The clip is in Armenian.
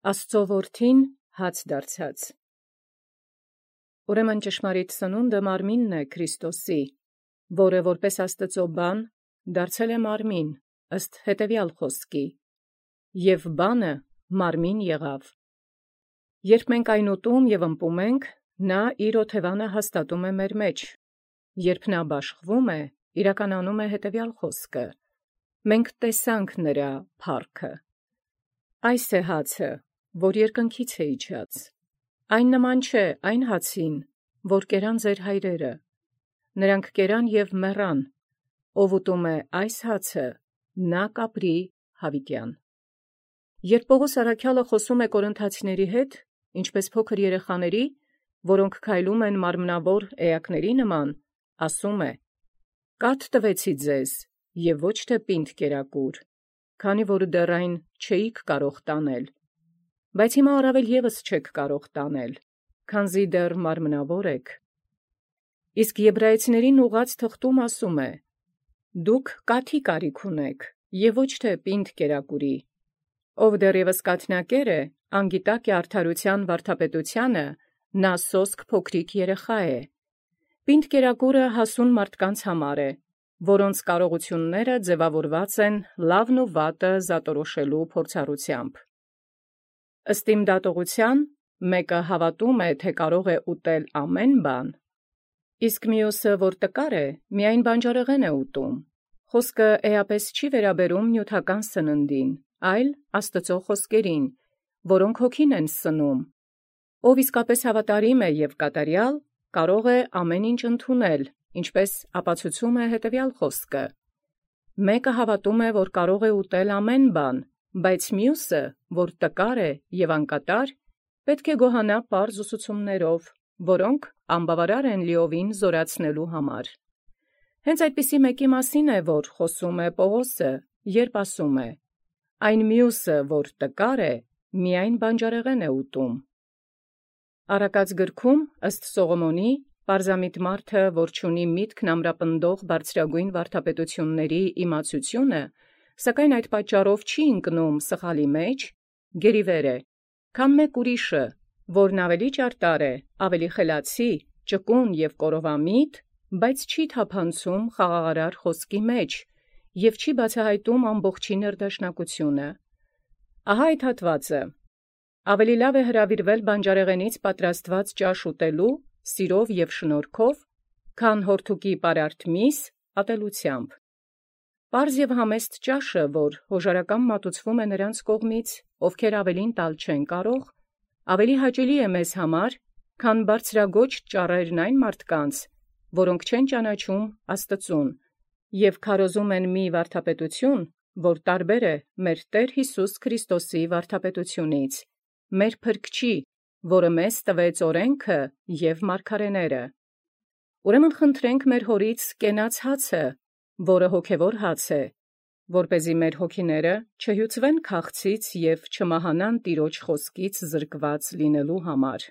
Աստծո որդին հաց դարձած։ Ուրեմն ճշմարիտ սնունդը մարմինն է Քրիստոսի, որը որպես Աստծո բան դարձել է մարմին ըստ հետևյալ խոսքի. և բանը մարմին եղավ։ Երբ մենք այն ուտում և ըմպում ենք, նա իր օթևանը հաստատում է մեր մեջ, երբ նա բաշխվում է, իրականանում է հետևյալ խոսքը. մենք տեսանք նրա փառքը։ Այս է հացը, որ երկնքից է իջած. այն նման չէ այն հացին, որ կերան ձեր հայրերը. նրանք կերան և մեռան, ով ուտում է այս հացը, նա կապրի հավիտյան։ Երբ Պողոս առաքյալը խոսում է կորինթացիների հետ, ինչպես փոքր երեխաների, որոնք քայլում են մարմնավոր էակների նման, ասում է. «Կաթ տվեցի ձեզ, և ոչ թե պինդ կերակուր, քանի որ դեռ այն չէիք կարող տանել, բայց հիմա առավել ևս չեք կարող տանել, քանզի դեռ մարմնավոր եք»։ Իսկ Եբրայեցիներին ուղղած թղթում ասում է. «Դուք կաթի կարիք ունեք, և ոչ թե պինդ կերակուրի. ով դեռևս կաթնակեր է, անգիտակ է արդարության վարդապետությանը, նա սոսկ փոքրիկ երեխա է։ Պինդ կերակուրը հասուն մարդկանց համար է, որոնց կարողությունները ձևավորված են լավն ու վատը զատորոշելու փորձառությամբ։ Ըստ իմ դատողության, մեկը հավատում է, թե կարող է ուտել ամեն բան, իսկ մյուսը, որ տկար է, միայն բանջարեղեն է ուտում։ Խոսքը էապես չի վերաբերում նյութական սննդին, այլ Աստծո խոսքերին, որոնք հոգին են սնում։ Ով իսկապես հավատարիմ է և կատարյալ, կարող է ամեն ինչ ընդունել, ինչպես ապացուցում է հետևյալ խոսքը. մեկը հավատում է, որ կարող է ուտել ամեն բան, բայց մյուսը, որ տկար է և անկատար, պետք է գոհանա պարզ ուսուցումներով, որոնք անբավարար են լիովին զորացնելու համար։ Հենց այդպիսի մեկի մասին է, որ խոսում է Պողոսը, երբ ասում է. «Այն մյուսը, որ տկար է, միայն բանջարեղեն է ուտում»։ Առակաց գրքում, ըստ Սողոմոնի, պարզամիտ մարդը, որ չունի միտքն ամրապնդող բարձրագույն վարդապետությունների իմացությունը, սակայն այդ պատճառով չի ընկնում սխալի մեջ, գերիվեր է, քան մեկ ուրիշը, որն ավելի ճարտար է, ավելի խելացի, ճկուն և կորովամիտ, բայց չի թափանցում խաղաղարար խոսքի մեջ և չի բացահայտում ամբողջի ներդաշնակությունը։ Ահա այդ հատվածը. ավելի լավ է հրավիրվել բանջարեղենից պատրաստված ճաշ ուտելու սիրով և շնորհքով, քան հորթուկի պարարտ միս ատելությամբ։ Պարզ և համեստ ճաշը, որ հոժարակամ մատուցվում է նրանց կողմից, ովքեր ավելին տալ չեն կարող, ավելի հաճելի է մեզ համար, քան բարձրագոչ ճառերն այն մարդկանց, որոնք չեն ճանաչում Աստծուն և քարոզում են մի վարդապետություն, որ տարբեր է մեր Տեր Հիսուս Քրիստոսի վարդապետությունից, մեր Փրկչի, որը մեզ տվեց օրենքը և մարգարեները։ Ուրեմն խնդրենք մեր Հորից կենաց հացը, որը հոգևոր հաց է, որպեսզի մեր հոգիները չհյուծվեն քաղցից և չմահանան Տիրոջ խոսքից զրկված լինելու համար։